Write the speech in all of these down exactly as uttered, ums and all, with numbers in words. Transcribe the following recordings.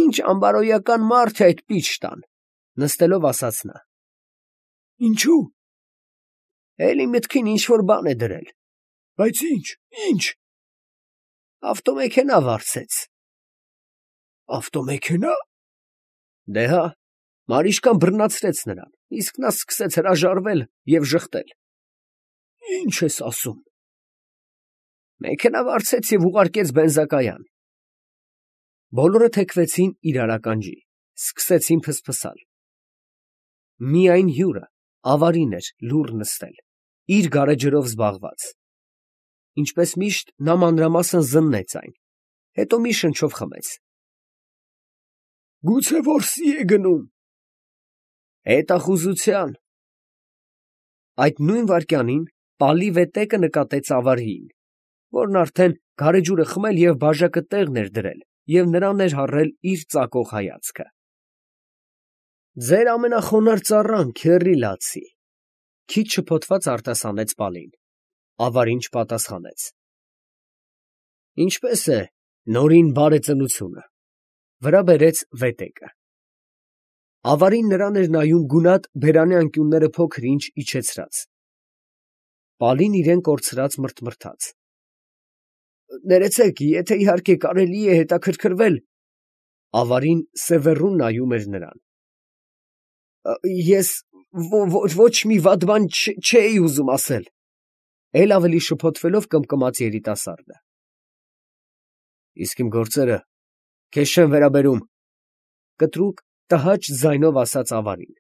Ինչ ամբարոյական մարդ է այդ պիչ տան, նստելով ասաց նա։ Ինչու։ Էլի մտքին ինչ որ բան է դրել։ Բայց ինչ, ինչ։ Ավտոմեքենա վարձեց։ Ավտոմեքենա։ Դե հա, Մարիշկան բռնացրեց նրան, իսկ նա սկսեց հրաժարվել և ժխտել։ Ինչ ես ասում։ Մեքենա վարձեց և ուղարկեց բենզակայան։ Բոլորը թեքվեցին իրար ականջի, սկսեցին փսփսալ։ Միայն հյուրը, Ավարին էր լուռ նստել, իր գարեջրով զբաղված։ Ինչպես միշտ, նա մանրամասն զննեց այն, հետո մի շնչով խմեց։ Գուցե որսի է գնում։ Հետախուզության։ Այդ նույն վայրկյանին պալի վետեկը նկատեց Ավարիին, որն արդեն գարեջուրը խմել և բաժակը տեղն էր դրել և նրան էր հառել իր ծակող հայացքը։ Ձեր ամենախոնարհ ծառան, քեռի լացի, քիչ շփոթված արտասանեց Պալին։ Ավարին չպատասխանեց։ Ինչպես է նորին բարեծնությունը, վրա բերեց վետեկը։ Ավարին նրան էր նայում գունատ բերանի անկյունները փոքր-ինչ իջեցրած։ Պալին իրեն կորցրած մռթմռթաց։ Ներեցեք, եթե իհարկե կարելի է հետաքրքրվել։ Ավարին սևեռուն նայում էր նրան։ Ես ոչ մի վատ բան չէի ուզում ասել, էլ ավելի շփոթվելով կմկմաց երիտասարդը։ Իսկ իմ գործերը քեզ չեն վերաբերում, կտրուկ տհաճ ձայնով ասաց Ավարին։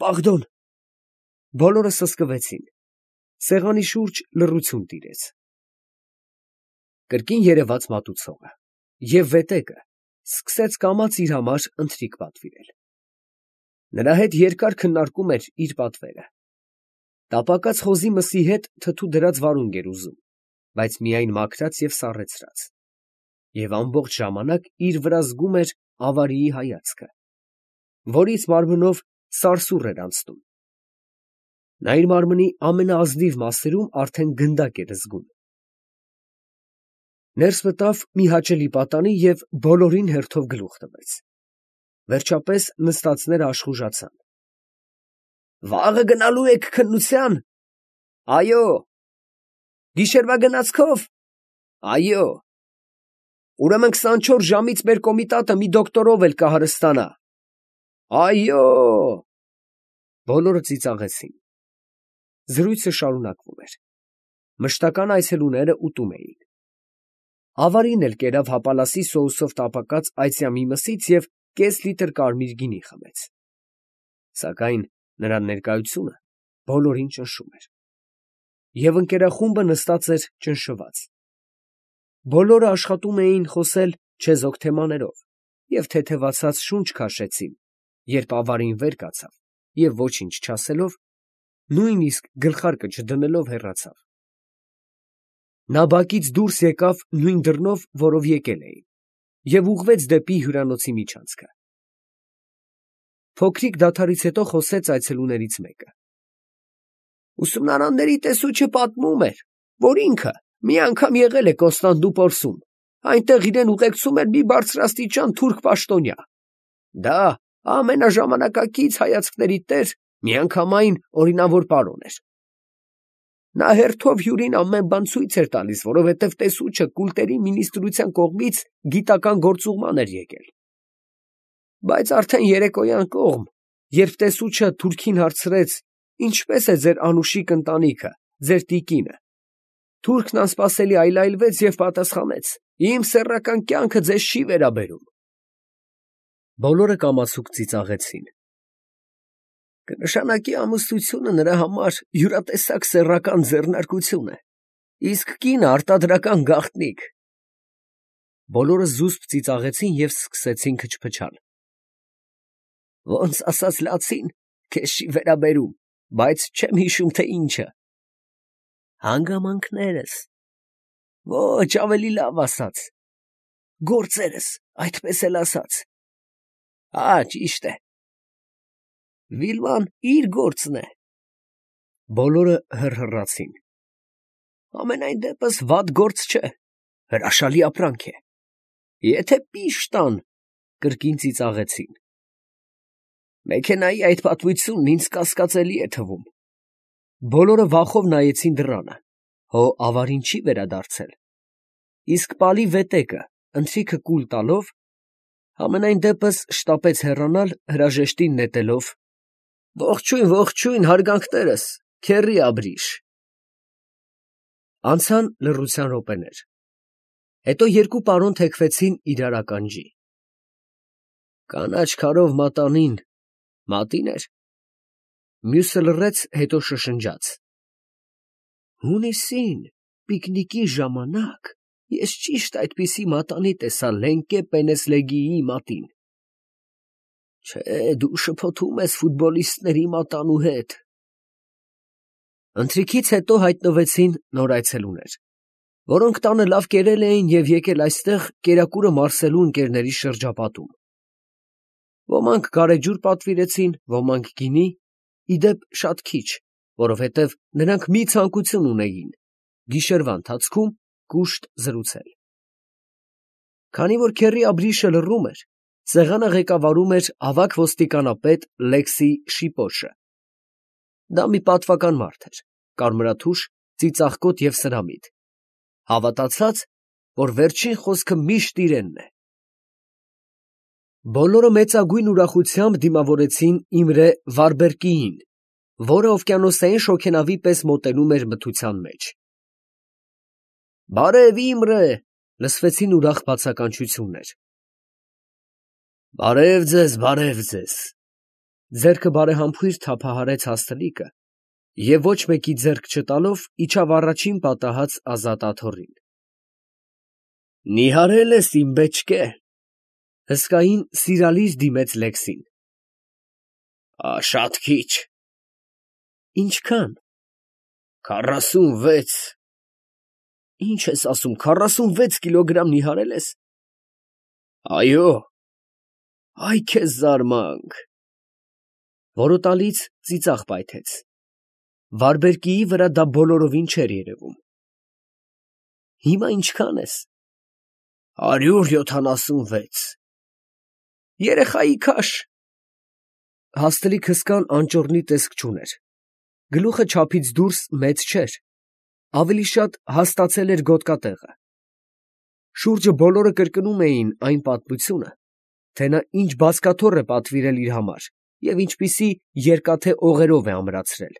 Պաղդոն։ Բոլորը սսկվեցին։ Սեղանի շուրջ լռություն տիրեց։ Կրկին երևաց մատուցողը, և վետեկը սկսեց կամաց իր համար ընթրիք պատվիրել։ Նրա հետ երկար քննարկում էր իր պատվերը։ Տապակած խոզի մսի հետ թթու դրած վարունգ էր ուզում, բայց միայն մաքրած և սառեցրած, և ամբողջ ժամանակ իր վրա զգում էր Ավարիի հայացքը, որից մարմնով սարսուռ էր անցնում։ Նա իր մարմնի ամենաազնիվ մասերում արդեն գնդակ էր զգում։ Ներս մտավ մի հաճելի պատանի և բոլորին հերթով գլուխ տվեց։ Վերջապես նստածները աշխուժացան։ Վաղը գնալու եք քննության։ Այո։ Գիշերվա գնացքով։ Այո։ Ուրեմն քսանչորս ժամից մեր կոմիտատը մի դոկտորով էլ կհարստանա։ Այո։ Բոլորը ծիծաղեցին։ Զրույցը շարունակվում էր։ Մշտական այցելուները ուտում էին։ Ավարին էլ կերավ հապալասի սոուսով տապակած այծյամի մսից և կես լիտր կարմիր գինի խմեց։ Սակայն նրա ներկայությունը բոլորին ճնշում էր։ Եվ ընկերախումբը նստած էր ճնշված։ Բոլորը աշխատում էին խոսել չեզոք թեմաներով և թեթևացած շունչ քաշեցին, երբ Ավարին վեր կացավ և ոչինչ չասելով, նույնիսկ գլխարկը չդնելով հեռացավ։ Նա բակից դուրս եկավ նույն դռնով, որով եկել էին, և ուղղվեց դեպի հյուրանոցի միջանցքը։ Փոքրիկ դադարից հետո խոսեց այցելուներից մեկը։ Ուսումնարանների տեսուչը պատմում էր, որ ինքը մի անգամ եղել է Կոստանդնուպոլսում, այնտեղ իրեն ուղեկցում էր մի բարձրաստիճան թուրք պաշտոնյա։ Դա ամենաժամանակակից հայացքների տեր, միանգամայն օրինավոր պարոն էր։ Նա հերթով հյուրին ամեն բան ցույց էր տալիս, որովհետև տեսուչը կուլտերի մինիստրության կողմից գիտական գործուղման էր եկել։ Բայց արդեն երեկոյան կողմ, երբ տեսուչը թուրքին հարցրեց. «Ինչպե՞ս է ձեր անուշիկ ընտանիքը, ձեր տիկինը», թուրքն անսպասելի այլայլվեց և պատասխանեց. «Իմ սեռական կյանքը ձեզ չի վերաբերում»։ Բոլորը կամացուկ ծիծաղեցին։ Կնշանակի ամուսնությունը նրա համար յուրատեսակ սեռական ձեռնարկություն է, իսկ կինը արտադրական գաղտնիք։ Բոլորը զուսպ ծիծաղեցին և սկսեցին քչփչալ։ Ոնց ասաց լացին, քեզ չի վերաբերում, բայց չեմ հիշում, թե ինչը։ Հանգամանքներս։ Ոչ, ավելի լավ ասած։ Գործերս, այդպես էլ ասած։ Հա, ճիշտ է։ Վիլման իր գործն է։ Բոլորը հռհռացին։ Ամենայն դեպս վատ գործ չէ, հրաշալի ապրանք է։ Եթե պիշտ տան, կրկին ծիծաղեցին։ Մեքենայի այդ պատմությունն ինձ կասկածելի է թվում։ Բոլորը վախով նայեցին դռանը, հո ավարին չի վերադարձել։ Իսկ պալի վետեկը, ընթրիքը կուլ տալով, համենայն դեպս շտապեց հեռանալ, հրաժեշտին նետելով. «Ողջույն, ողջույն, հարգանքներս, քեռի Աբրիշ»։ Անցան լռության րոպեներ։ Հետո երկու պարոն թեքվեցին իրար ականջի։ «Կանաչ քարով մատանին, մատի՞ն էր»։ Մյուսը լռեց, հետո շշնջաց. «Հունիսին, պիկնիկի ժամանակ, ես ճիշտ այդպիսի մատանի տեսա Լենկե Պենեսլեգիի մատին»։ Չէ, դու շփոթում ես ֆուտբոլիստների մատանու հետ։ Ընթրիքից հետո հայտնվեցին նոր այցելուներ, որոնք տանը լավ կերել էին և եկել այստեղ կերակուրը մարսելու ընկերների շրջապատում։ Ոմանք գարեջուր պատվիրեցին, ոմանք գինի, ի դեպ շատ քիչ, որովհետև նրանք մի ցանկություն ունեին՝ գիշերվա ընթացքում կուշտ զրուցել։ Քանի որ քեռի Աբրիշը լռում էր, սեղանը ղեկավարում էր ավագ ոստիկանապետ Լեքսի Շիպոշը։ Դա մի պատվական մարդ էր, կարմրաթուշ, ծիծաղկոտ և սրամիտ, հավատացած, որ վերջին խոսքը միշտ իրենն է։ Բոլորը մեծագույն ուրախությամբ դիմավորեցին Իմրե Վարբերկիին, որը օվկիանոսային շոգենավի պես մոտենում էր մթության մեջ։ «Բարև, Իմրե», լսվեցին ուրախ բացականչություններ։ «Բարև ձեզ, բարև ձեզ», ձեռքը բարեհամբույր թափահարեց հաստլիկը և ոչ մեկի ձեռք չտալով իջավ առաջին պատահած ազատ աթոռին։ «Նիհարել ես, իմ բեչկե», հսկային սիրալիր դիմեց Լեքսին։ «Շատ քիչ»։ «Ինչքան»։ «Քառասունվեց»։ «Ինչ ես ասում, քառասունվեց կիլոգրամ նիհարել ես»։ «Այո»։ «Այ քեզ զարմանք»։ Որոտալից ծիծաղ պայթեց։ Վարբերկիի վրա դա բոլորովին չէր երևում։ «Հիմա ինչքան ես»։ «Հարյուր յոթանասունվեց»։ «Երեխայի քաշ»։ Հաստլիկ հսկան անճոռնի տեսք չուներ։ Գլուխը չափից դուրս մեծ չէր, ավելի շատ հաստացել էր գոտկատեղը։ Շուրջը բոլորը կրկնում էին այն պատմությունը, թե նա ինչ բազկաթոռ է պատվիրել իր համար և ինչպիսի երկաթե օղերով է ամրացրել։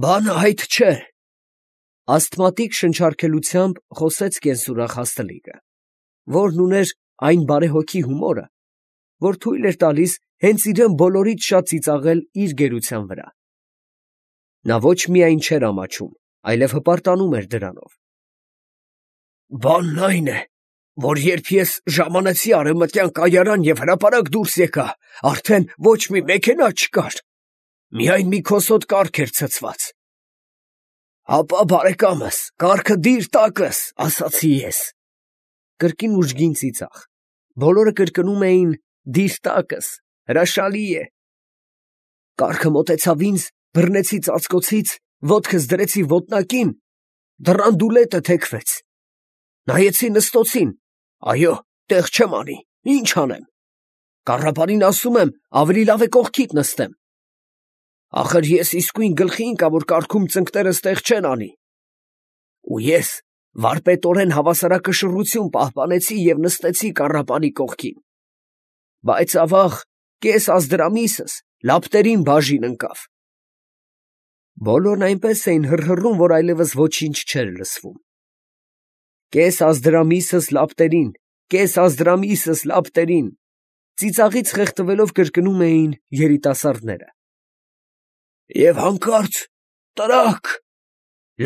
«Բանը այդ չէ», ասթմատիկ շնչառքելությամբ խոսեց կենսուրախ հաստլիկը, որն ուներ այն բարեհոգի հումորը, որ թույլ էր տալիս հենց իրան բոլորից շատ ծիծաղել իր գերության վրա։ Նա ոչ միայն չէր ամաչում, այլև հպարտանում էր դրանով։ «Բանն այն է, որ երբ ես ժամանեցի արևմտյան կայարան և հրապարակ դուրս եկա, արդեն ոչ մի մեքենա չկար, միայն մի քոսոտ կառք էր ցցված։ Հապա, բարեկամս, կառքը դիր տակս, ասացի ես»։ Կրկին ուժգին ծիծաղ։ Բոլորը կրկնում էին «դիր տակս», հրաշալի է։ Կառքը մոտեցավ ինձ, բռնեցի ծածկոցից, ոտքս դրեցի ոտնակին, դռան դուլետը թեքվեց։ Նայեցի Նստոցին, այո, տեղ չեմ անի, ի՞նչ անեմ։ Կառապանին ասում եմ, ավելի լավ է կողքիդ նստեմ։ Ախր ես իսկույն գլխի ընկա, որ կառքում ծնկներս տեղ չեն անի։ Ու ես վարպետորեն հավասարակշռություն պահպանեցի և նստեցի կառապանի կողքին։ Բայց ավաղ կես ազդրամիսս լապտերին բաժին ընկավ։ Բոլորն այնպես էին հռհռում, որ այլևս ոչինչ չէր լսվում։ Կես ազդրամիսս լապտերին, կես ազդրամիսս լապտերին, ծիծաղից խեղդվելով կրկնում էին երիտասարդները։ Եվ հանկարծ տրաք,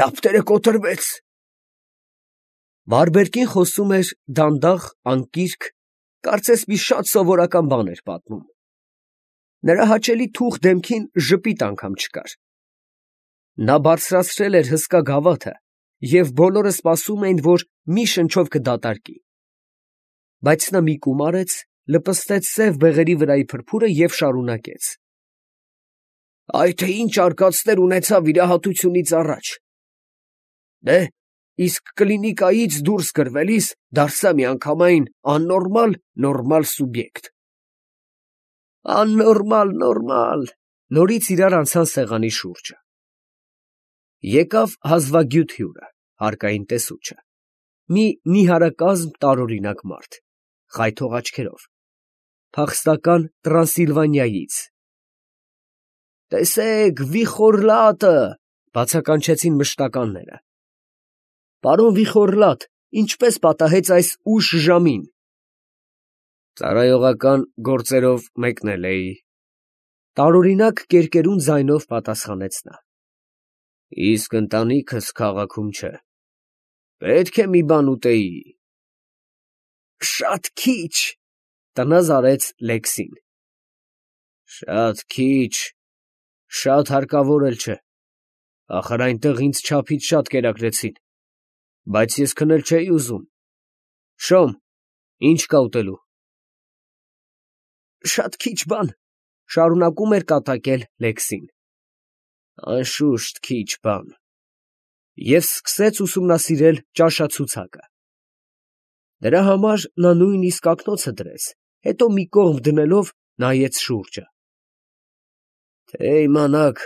լապտերը կոտրվեց։ Վարբերկին խոսում էր դանդաղ, անկիրք, կարծես մի շատ սովորական բան էր պատմում։ Նրա հաճելի թուխ դեմքին ժպիտ անգամ չկար։ Նա բարձրացրել էր հսկա գավաթը, և բոլորը սպասում էին, որ մի շնչով կդատարկի։ Բայց նա մի կում արեց, լպստեց սև բեղերի վրայի փրփուրը և շարունակեց. «Այ թե ինչ արկածներ ունեցա վիրահատությունից առաջ։ Դե, իսկ կլինիկայից դուրս գրվելիս դարձա միանգամայն աննորմալ նորմալ սուբյեկտ։ Աննորմալ նորմալ, նորից իրար անցան սեղանի շուրջը։ Եկավ հազվագյուտ հյուրը, հարկային տեսուչը, մի նիհարակազմ տարօրինակ մարդ, խայթող աչքերով, փախստական Տրանսիլվանիայից։ Տեսեք, Վիխորլատը, բացականչեցին մշտականները։ Պարոն Վիխորլատ, ինչպես պատահեց այս ուշ ժամին։ Ծառայողական գործերով մեկնել էի։ Տարօրինակ կերկերուն ձայնով պատասխանեց նա։ Իսկ ընտանիքս քաղաքում չէ։ Պետք է մի բան ուտեի։ Շատ քիչ, տնազ արեց Լեքսին։ Շատ քիչ, շատ հարկավոր էլ չէ։ Ախր այնտեղ ինձ չափից շատ կերակրեցին, բայց ես քնել չէի ուզում։ Շոմ, ինչ կա ուտելու։ Շատ քիչ բան, շարունակում էր կատակել Լեքսին։ Անշուշտ քիչ բան։ Եվ սկսեց ուսումնասիրել ճաշացուցակը։ Դրա համար նա նույնիսկ ակնոցը դրեց, հետո մի կողմ դնելով նայեց շուրջը։ Թե իմանաք,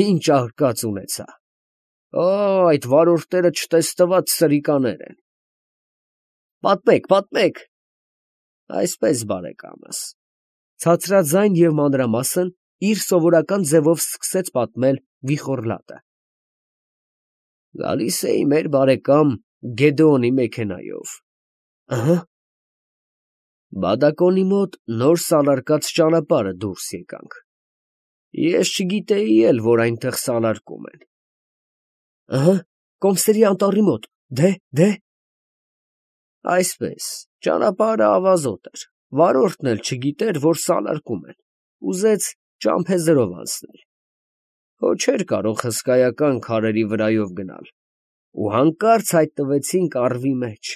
ինչ արկած ունեցա։ Օ, այդ վարորդները չտեսնված սրիկաներ են։ Պատմեք, պատմեք։ Այսպես, բարեկամս, ցածրաձայն և մանրամասն իր սովորական ձևով սկսեց պատմել Վիխորլատը։ Գալիս էի մեր բարեկամ Գեդեոնի մեքենայով։ Ըհը։ Բադակոնի մոտ նոր սալարկած ճանապարհը դուրս եկանք։ Ես չգիտեի էլ, որ այնտեղ սալարկում են։ Ըհը, Կոմսերի անտառի մոտ, դե, դե։ Այսպես, ճանապարհը ավազոտ էր, վարորդն էլ չգիտեր, որ սալարկում են, ուզեց ճամփեզերով անցնել։ Հո չէր կարող հսկայական քարերի վրայով գնալ, ու հանկարծ հայտնվեցինք առվի մեջ։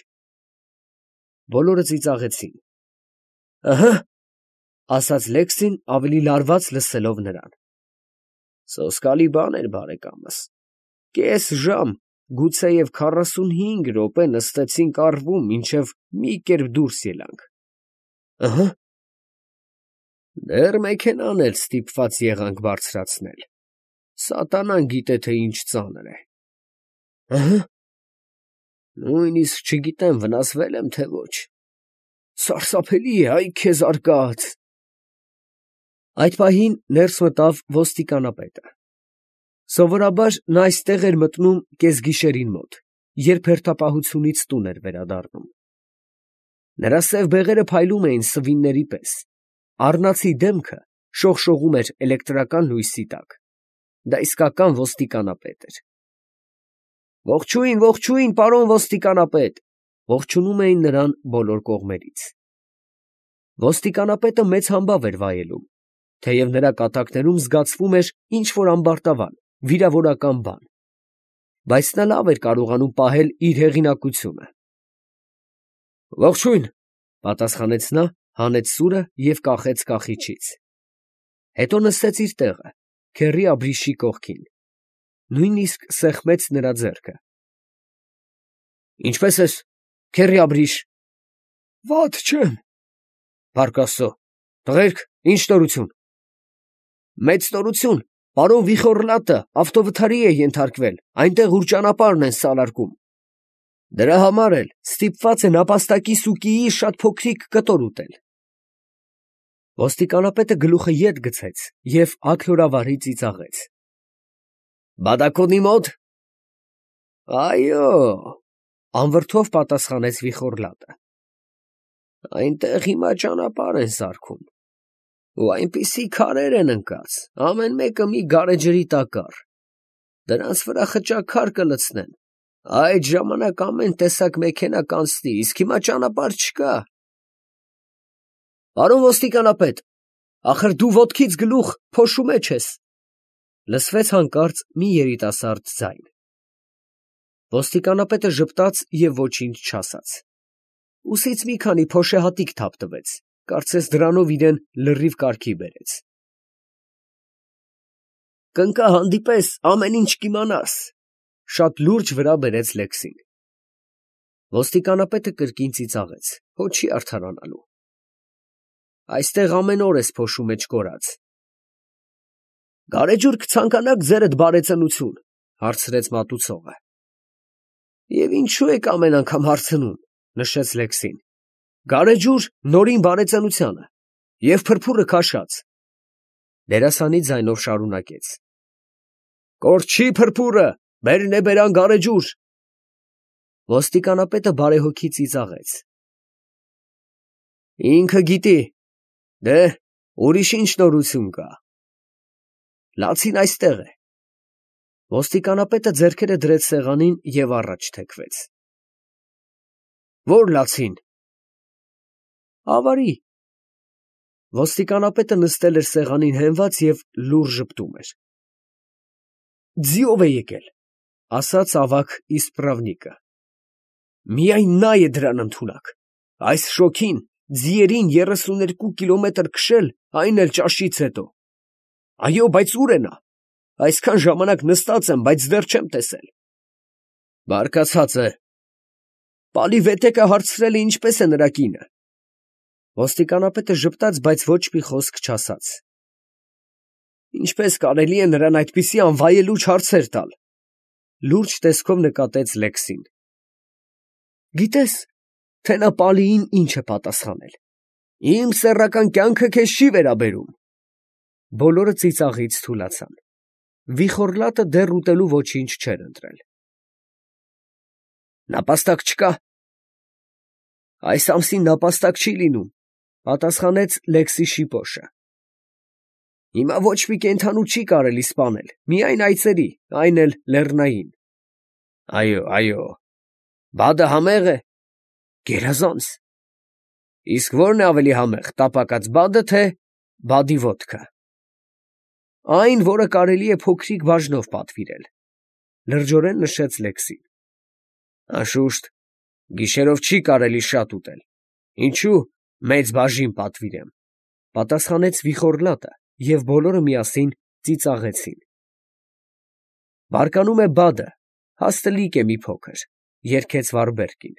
Բոլորը ծիծաղեցին։ Ըհը, ասաց Լեքսին ավելի լարված լսելով նրան։ Սոսկալի բան էր, բարեկամս։ Կես ժամ, գուցեև քառասունհինգ րոպե նստեցինք առվում, մինչև մի կերպ դուրս ելանք։ Ըհը։ Դեռ մեքենան էլ ստիպված եղանք բարձրացնել։ Սատանան գիտե, թե ինչ ծանր է։ Ըհը։ Նույնիսկ չգիտեմ վնասվել եմ, թե ոչ։ Սարսափելի է, այ քեզ արկած։ Այդ պահին ներս մտավ ոստիկանապետը։ Սովորաբար նա այստեղ էր մտնում կեսգիշերին մոտ, երբ հերթապահությունից տուն էր վերադառնում։ Նրա սև բեղերը փայլում էին սվինների պես, առնացի դեմքը շողշողում էր էլեկտրական լույսի տակ։ Դա իսկական ոստիկանապետ էր։ Ողջույն, ողջույն, պարոն ոստիկանապետ, ողջունում էին նրան բոլոր կողմերից։ Ոստիկանապետը մեծ համբավ էր վայելում, թեև նրա կատակներում զգացվում էր ինչ-որ ամբարտավան, վիրավորական բան, բայց նա լավ էր կարողանում պահել իր հեղինակությունը։ Ողջույն, պատասխանեց նա, հանեց սուրը և կախեց կախիչից։ Հետո նստեց իր տեղը, քեռի աբրիշի կողքին, նույնիսկ սեղմեց նրա ձեռքը։ Ինչպե՞ս ես, քեռի աբրիշ։ Վատ չեմ։ Փառք Աստծո, տղերք, ինչ նորություն։ Մեծ նորություն, պարոն Վիխորլատը ավտովթարի է ենթարկվել, այնտեղ ուր ճանապարհն են սալարկում։ Դրա համար էլ ստիպված են ապաստակի սուկիի շատ փոքրիկ կտոր ուտել։ Ոստիկանապետը գլուխը ետ գցեց և աքլորավարի ծիծաղեց։ Բադակոնի մոտ։ Այո, անվրդով պատասխանեց Վիխորլատը։ Այնտեղ հիմա ճանապարհ են սարքում, ու այնպիսի քարեր են ընկած, ամեն մեկը մի գարեջրի տակառ։ Դրանց վրա խճաքար կլցնեն, այդ ժամանակ ամեն տեսակ մեքենա կանցնի, իսկ հիմա ճանապարհ չկա։ Պարոն ոստիկանապետ, ախր դու ոտքից գլուխ փոշու մեջ ես, լսվեց հանկարծ մի երիտասարդ ձայն։ Ոստիկանապետը ժպտաց և ոչինչ չասաց։ Ուսից մի քանի փոշեհատիկ թափ տվեց, կարծես դրանով իրեն լրիվ կարգի բերեց։ Կընկա հանդիպես, ամեն ինչ կիմանաս, շատ լուրջ վրա բերեց Լեքսին։ Ոստիկանապետը կրկին ծիծաղեց, հո չի արդարանալու։ Այստեղ ամեն օր ես փոշու մեջ կորած։ Գարեջուր կցանկանաք ձերդ բարեծնություն, հարցրեց մատուցողը։ Եվ ինչու եք ամեն անգամ հարցնում, նշեց Լեքսին։ Գարեջուր նորին բարեծնությանը և փրփուրը քաշած։ Դերասանի ձայնով շարունակեց. Կորչի փրփուրը, բերն է բերան գարեջուր։ Ոստիկանապետը բարեհոգի ծիծաղեց։ Ինքը գիտի, դե ուրիշ ինչ նորություն կա։ Լացին այստեղ է։ Ոստիկանապետը ձեռքերը դրեց սեղանին և առաջ թեքվեց։ Ո՞ր լացին։ Ավարի։ Ոստիկանապետը նստել էր սեղանին հենված և լուռ ժպտում էր։ Ձիով է եկել, ասաց ավագ իսպրավնիկը։ Միայն նա է դրան ընդունակ։ Այս շոգին ձիերին երեսուներկու կիլոմետր քշել, այն էլ ճաշից հետո։ Այո, բայց ո՞ւր է նա։ Այսքան ժամանակ նստած եմ, բայց դեռ չեմ տեսել։ Բարկացած է։ Պալի վետեկը հարցրել է ինչպես է նրա կինը։ Ոստիկանապետը ժպտաց, բայց ոչ մի խոսք չասաց։ Ինչպես կարելի է նրան այդպիսի անվայելուչ հարցեր տալ։ Լուրջ տեսքով նկատեց Լեքսին։ Գիտես, թե նա Պալիին ինչ է պատասխանել։ Իմ սեռական կյանքը քեզ չի վերաբերում։ Բոլորը ծիծաղից թուլացան։ Վիխոռլատը դեռ ուտելու ոչինչ չէր ընտրել։ Նապաստակ չկա։ Այս ամսին նապաստակ չի լինում, պատասխանեց Լեքսի շիպոշը։ Հիմա ոչ մի կենդանու չի կարելի սպանել, միայն այծերի, այն էլ լեռնային։ Այո, այո։ Բադը համեղ է։ Գերազանց։ Իսկ ո՞րն է ավելի համեղ, տապակած բադը, թե բադի ոդկը։ Այն, որը կարելի է փոքրիկ բաժնով պատվիրել, լրջորեն նշեց Լեքսին։ Անշուշտ, գիշերով չի կարելի շատ ուտել։ Ինչու մեծ բաժին պատվիրեմ, պատասխանեց Վիխոռլատը, և բոլորը միասին ծիծաղեցին։ Բարկանում է բադը, հաստլիկ է մի փոքր, երգեց Վարդբերգին։